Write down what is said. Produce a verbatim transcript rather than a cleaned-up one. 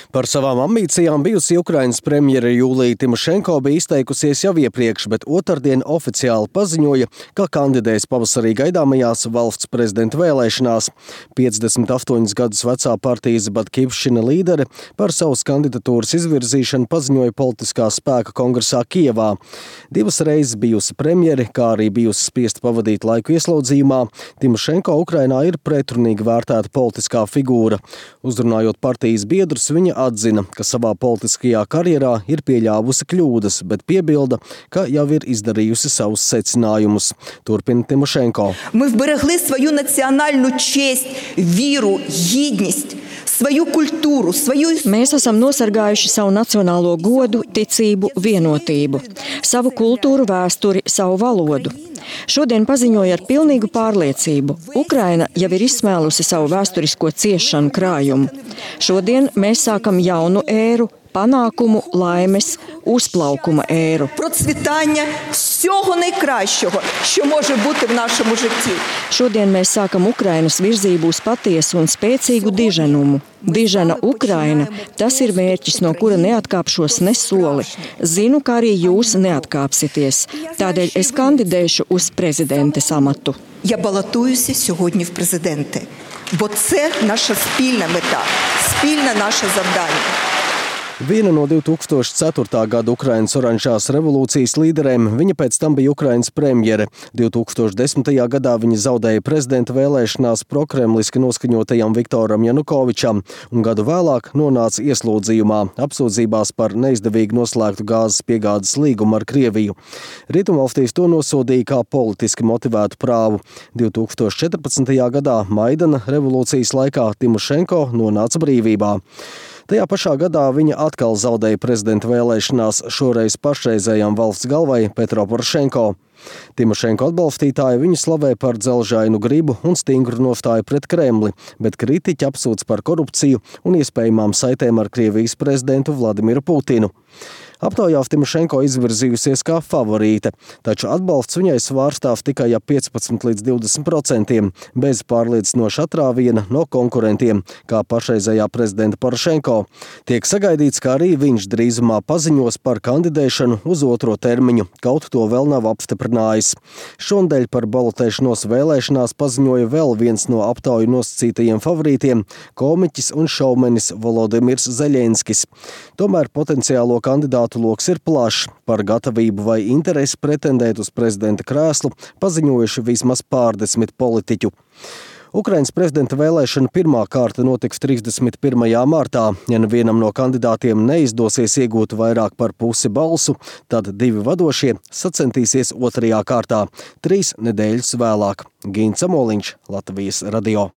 Par savām ambīcijām bijusi Ukrainas premjere Julija Timošenko bija izteikusies jau iepriekš, bet otrdien oficiāli paziņoja, ka kandidēs pavasarī gaidāmajās valsts prezidenta vēlēšanās. piecdesmit astoņus gadus vecā partijas Batkivšina līdere par savas kandidatūras izvirzīšanu paziņoja politiskā spēka kongresā Kijevā. Divas reizes bijusi premjere, kā arī bijusi spiesta pavadīt laiku ieslodzījumā, Timošenko Ukrainā ir pretrunīgi vērtēta politiskā figūra. Uzrunājot partijas biedrus, viņa atzina, ka savā politiskajā karjerā ir pieļāvusi kļūdas, bet piebilda, ka jau ir izdarījusi savus secinājumus. Turpina Timošenko. Ми вберегли свою національну честь, віру, гідність, свою культуру, свою... Mēs esam nosargājuši savu nacionālo godu, ticību, vienotību, savu kultūru, vēsturi, savu valodu. Šodien paziņoja ar pilnīgu pārliecību. Ukraina jau ir izsmēlusi savu vēsturisko ciešanu krājumu. Šodien mēs sākam jaunu ēru, panākumu, laimes, uzplaukuma ēru. Процвітання всього найкращого, що може бути в нашому житті. Šodien mēs sākam Ukrainas virzību uz patiesu un spēcīgu diženumu. Dižena Ukraina, tas ir mērķis, no kura neatkāpšos ne soli. Zinu, ka arī jūs neatkāpsities. Tādēļ es kandidēšu uz prezidentes amatu. Я балотуюся сьогодні в президенти, бо це наша спільна мета, спільне наше завдання. Viena no divi tūkstoši ceturtā gada Ukrainas oranžās revolūcijas līderēm, viņa pēc tam bija Ukrainas premjere. divi tūkstoši desmitajā gadā viņa zaudēja prezidenta vēlēšanās prokremliski noskaņotajam Viktoram Janukovičam un gadu vēlāk nonāca ieslodzījumā, apsūdzībās par neizdevīgi noslēgtu gāzes piegādes līgumu ar Krieviju. Rietumvalstīs to nosodīja kā politiski motivētu prāvu. divi tūkstoši četrpadsmitajā gadā Maidana revolūcijas laikā Timošenko nonāca brīvībā. Tajā pašā gadā viņa atkal zaudēja prezidenta vēlēšanās, šoreiz pašreizējām valsts galvai Petro Porošenko. Timošenko atbalstītāji viņu slavē par dzelžainu gribu un stingru nostāju pret Kremli, bet kritiķi apsūdz par korupciju un iespējamām saitēm ar Krievijas prezidentu Vladimiru Putinu. Aptaujās Timošenko izvirzījusies kā favorīte, taču atbalsts viņai svārstāv tikai ap piecpadsmit līdz divdesmit procentiem, bez pārliecinoša atrāviena no konkurentiem, kā pašreizējā prezidenta Porošenko. Tiek sagaidīts, ka arī viņš drīzumā paziņos par kandidēšanu uz otro termiņu, kaut to vēl nav apstiprinājis. Šonadēļ par balotēšanos vēlēšanās paziņoja vēl viens no aptauju nosacītajiem favorītiem – komiķis un šaumenis Volodimirs Zeļenskis. Tomēr potenciālo kandidātu loks ir plašs. Par gatavību vai interesi pretendēt uz prezidenta krēslu paziņojuši vismaz pārdesmit politiķu. Ukrainas prezidenta vēlēšana pirmā kārta notiks trīsdesmit pirmajā martā. Ja nevienam no kandidātiem neizdosies iegūt vairāk par pusi balsu, tad divi vadošie sacentīsies otrajā kārtā, trīs nedēļas vēlāk. Gints Amoliņš, Latvijas radio.